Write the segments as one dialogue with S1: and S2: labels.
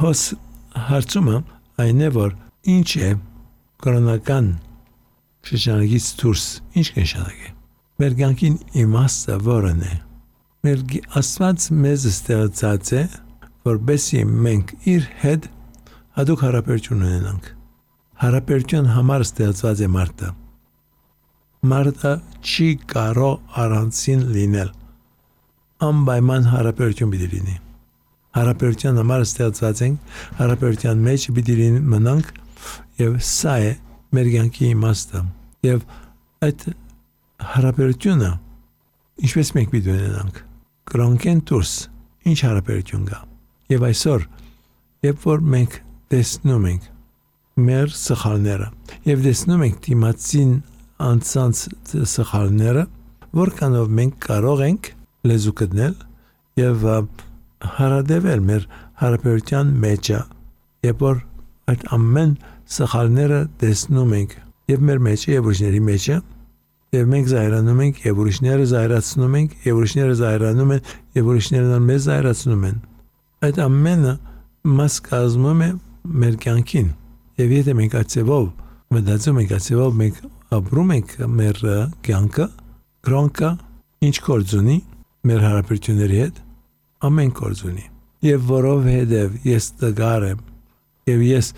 S1: հոս հարցումը այն է, որ ինչ է կրոնական շրջանագից դուրս, ինչ կնշանակի։ Մեր կյանքին իմաստը որն է։ Մեր Աստված մեզ ստեղծած է, որպեսզի մենք իր հետ հատուկ հարաբերություն ունենանք։ Հարաբերության համար ստեղծված է մարդը։ Մարդը չի կարող առանցին լինել։ Անպայման հարաբերություն պիտի լինի։ Հարաբերության համար ստեղծված ենք, հարաբերության մեջ պիտի մնանք, եւ սա է մեր կյանքի իմաստը։ Եվ այդ հարաբերությունը ինչպես մենք պիտի ունենանք։ Կրոնքեն դուրս ինչ հարաբերություն կա։ Եվ այսօր, երբ որ մենք տեսնում ենք մեր սխալները եւ տեսնում ենք դիմացին անցած սխալները, որքանով մենք կարող ենք լեզու գտնել եւ հարադեվել մեր հարաբերության մեջը, երբ որ այդ ամեն սխալները տեսնում ենք եւ մեր մեջը եւ ուրիշների մեջը, եւ մենք զայրանում ենք եւ ուրիշները զայրացնում ենք եւ ուրիշները զայրանում են եւ ուրիշները մեզ զայրացնում են։ Այդ ամենը մաս կազմում է մեր կյանքին։ Եվ եթե մենք այցեվով մտածում ենք, այցեվով մենք ապրում ենք մեր կյանքը, կրոնքը ինչ գործ ունի մեր հարաբերությունների հետ, ամեն գործ ունի։ Եվ որովհետև ես տգար եմ եւ ես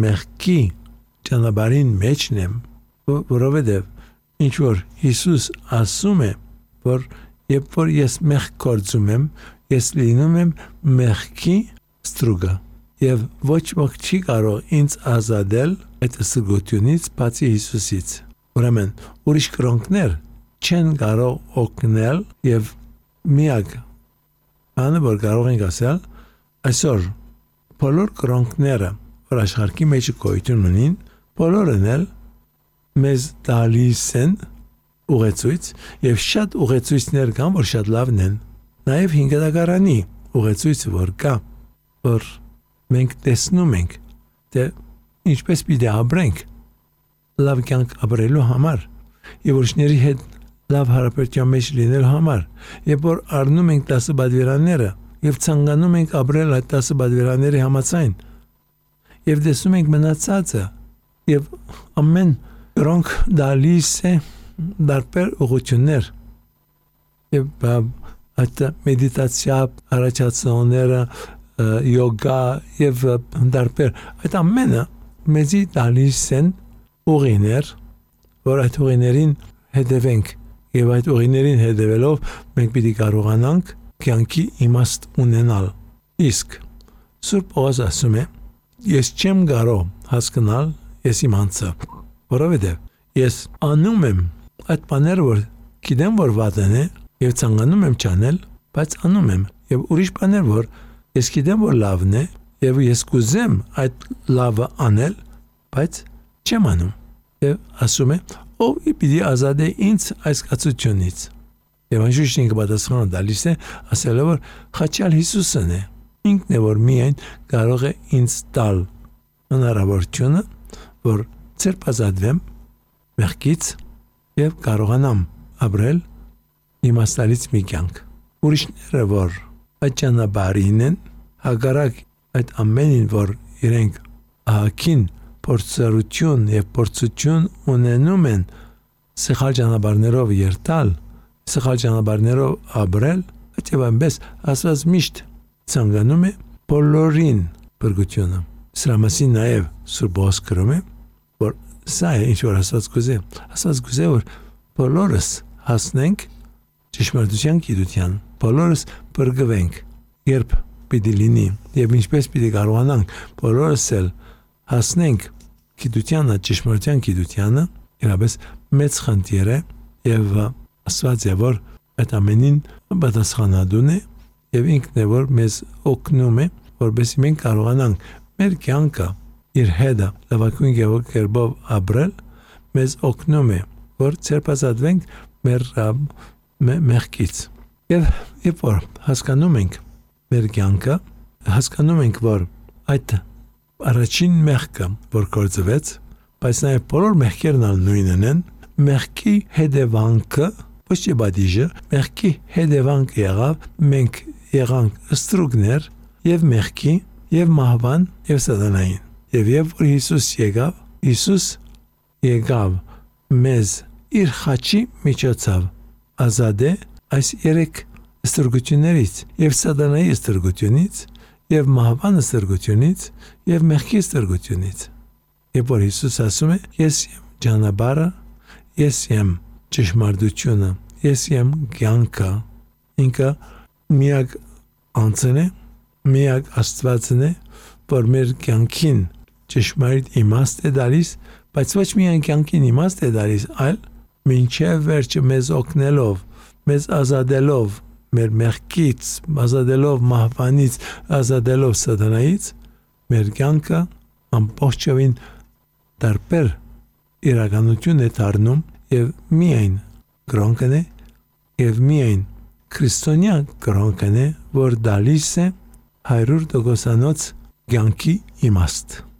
S1: մեղքի ճանապարհին մեջն եմ, որովհետև ինչ որ Հիսուս ասում է, որ երբ որ ես մեղք գործում եմ, ես լինում եմ մեղքի ստրուկը եւ ոչ ոք չի կարող ինձ ազատել այդ ստրուկությունից բացի Հիսուսից։ Ուրեմն ուրիշ կրոնքներ չեն կարող օգնել եւ միակ բանը որ կարող ենք ասել այսօր բոլոր կրոնքները որ աշխարհի մեջ գոյություն ունին, բոլորն էլ մեզ տալիս են ուղեցույց եւ շատ ուղեցույցներ կան, որ շատ լավն են։ Նաեւ հինգադակարանի ուղեցույցը որ կա, որ մենք տեսնում ենք, թե ինչպես պիտի ապրենք լավ կյանք ապրելու համար եւ ուրիշների հետ լավ հարաբերության մեջ լինելու համար, երբ որ առնում ենք 10 բادվերանները եւ ցանկանում ենք ապրել այդ 10 բادվերանների համաձայն եւ տեսնում ենք մնացածը եւ ամեն կրոնք դալիս է դարբեր ուղղություններ եւ այդ մեդիտացիա առաջացնողները յոգա եւ դարբեր այդ ամենը մեզի տալիս են ուղիներ, որ այդ ուղիներին հետևենք եւ այդ ուղիներին հետևելով մենք պիտի կարողանանք կյանքի իմաստ ունենալ։ Իսկ Սուրբ Պողոս ասում է. ես չեմ կարող հասկանալ ես իմ անձը, որովհետեւ ես անում եմ այդ բաները, որ գիտեմ որ վատն է եւ ցանկանում եմ չանել, բայց անում եմ եւ ուրիշ բաներ, որ ես գիտեմ որ լավն է եւ ես կուզեմ այդ լավը անել, բայց չեմ անում։ Եվ ասում է, ով պիտի ազատե ինձ այս կացությունից։ Եվ անշուշտ ինքը պատասխանը տալիս է, ասելով որ խաչյալ Հիսուսն է։ Ինքն է որ միայն կարող է ինձ տալ հնարավորությունը, որ ցերպազատվեմ մեղքից եւ կարողանամ ապրել իմաստալից մի կյանք։ Ուրիշները որ այդ ճանապարհին են, հակառակ այդ ամենին որ իրենք ահագին փորձառություն եւ փորձություն ունենում են սխալ ճանապարհներով երթալ, սխալ ճանապարհներով ապրել, այդպես այնպես ասած միշտ ցանկանում է բոլորին բրգությունը։ Սրա մասին նաեւ Սուրբ Պողոս գրում է, որ սա է ինչ որ ասած գուզե, որ բոլորս հասնենք ճշմարտության գիտության, բոլորս բրգվենք, երբ պիտի լինի եւ ինչպես պիտի կարողանանք բոլորս էլ հասնենք գիտությանը, ճշմարտության գիտությանը, իրապես մեծ խնդիր է եւ Աստված է որ այդ ամենին պատասխանատուն է եւ ինքն է որ մեզ օգնում է որպեսզի մենք կարողանանք մեր կյանքը իր հետը լավագույն կերպով ապրել, մեզ օգնում է որ ցերպազատվենք մեր մեղքից եւ երբ որ հասկանում ենք մեր կյանքը, հասկանում ենք որ այդ առաջին մեղքը որ գործվեց, բայց նաեւ բոլոր մեղքերն նույնն են, մեղքի հետևանքը ոչ թե բադիժը, մեղքի հետևանք եղավ, մենք եղանք ստրուկներ եւ մեղքի եւ մահվան եւ սատանային։ Եվ որ Հիսուս եկավ մեզ իր խաչի միջոցով ազատե այս երեք ստրգություններից եւ սատանայի ստրգությունից եւ մահվան ստրգությունից եւ մեղքի ստրգությունից։ Եվ որ Հիսուս ասում է. ես եմ ճանապարհը, ես եմ ճշմարտությունը, ես եմ կյանքը։ Ինքը միակ անձն է, միակ Աստվածն է, որ մեր կյանքին ճշմարիտ իմաստ է տալիս, բայց ոչ միայն կյանքին իմաստ է տալիս, այլ մինչև վերջը մեզ օգնելով, մեզ ազատելով մեր մեղքից, ազատելով մահվանից, ազատելով սատանայից, մեր կյանքը ամբողջովին տարբեր իրականություն է դառնում եւ միայն կրոնքն է եւ միայն քրիստոնյա կրոնքն է, որ դալիս է 100% կյանքի իմաստ։